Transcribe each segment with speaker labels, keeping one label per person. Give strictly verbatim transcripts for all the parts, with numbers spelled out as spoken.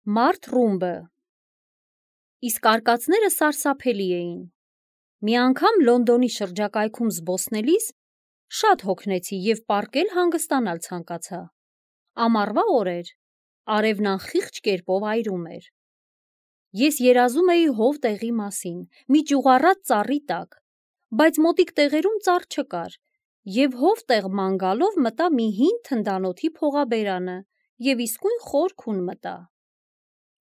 Speaker 1: Մարդ ռումբը։ Իսկ արկածները սարսափելի էին։ Մի անգամ Լոնդոնի շրջակայքում զբոսնելիս շատ հոգնեցի և պառկել հանգստանալ ցանկացա։ Ամառվա օր էր, արևն անխիղճ կերպով այրում էր։ Ես երազում էի հով տեղի մասին, մի ճյուղառատ ծառի տակ, բայց մոտիկ տեղերում ծառ չկար, և հով տեղ ման գալով մտա մի հին թնդանոթի փողաբերանը և իսկույն խոր քուն մտա։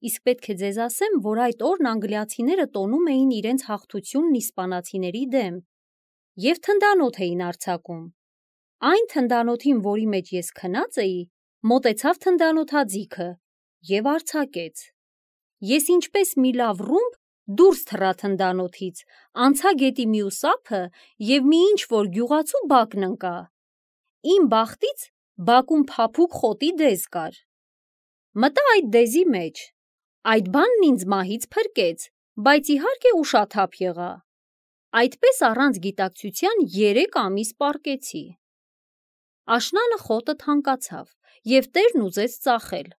Speaker 1: Իսկ պետք է ձեզ ասեմ, որ այդ օրն անգլիացիները տոնում էին իրենց հաղթությունն իսպանացիների դեմ և թնդանոթ էին արձակում։ Այն թնդանոթին, որի մեջ ես քնած էի, մոտեցավ թնդանոթաձիգը և արձակեց։ Ես ինչպես մի լավ ռումբ դուրս թռա թնդանոթից, անցա գետի մյուս ափը և մի ինչ-որ գյուղացու բակն ընկա։ Իմ բախտից բակում փափուկ խոտի դեզ կար։ Մտա այդ դեզի մեջ։ Այդ բանն ինձ մահից փրկեց, բայց իհարկե ուշաթափ եղա։ Այդպես առանց գիտակցության երեք ամիս պառկեցի։ Աշնանը խոտը թանկացավ, և տերն ուզեց ծախել։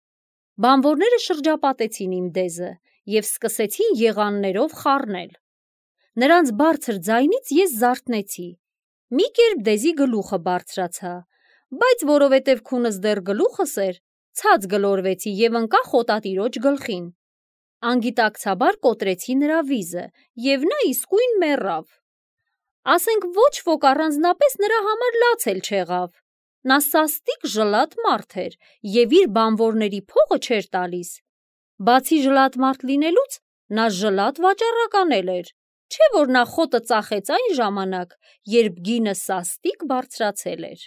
Speaker 1: Բանվորները շրջապատեցին իմ դեզը և սկսեցին եղաններով խառնել։ Նրանց բարձր ձայնից ես զարթնեցի, մի կերպ դեզի գլուխը բարձրացա, բայց որովհետև քունս դեռ գլուխս էր, ցած գլորվեցի և ընկա խոտատիրոջ գլխին։ Անգիտակցաբար կոտրեցի նրա վիզը, և նա իսկույն մեռավ։ Ասենք ոչ ոք առանձնապես նրա համար լաց էլ չեղավ։ Նա սաստիկ ժլատ մարդ էր և իր բանվորների փողը չէր տալիս։ Բացի ժլատ մարդ լինելուց, նա ժլատ վաճառական էլ էր, չէ՞ որ նա խոտը ծախեց այն ժամանակ, երբ գինը սաստիկ բարձրացել էր։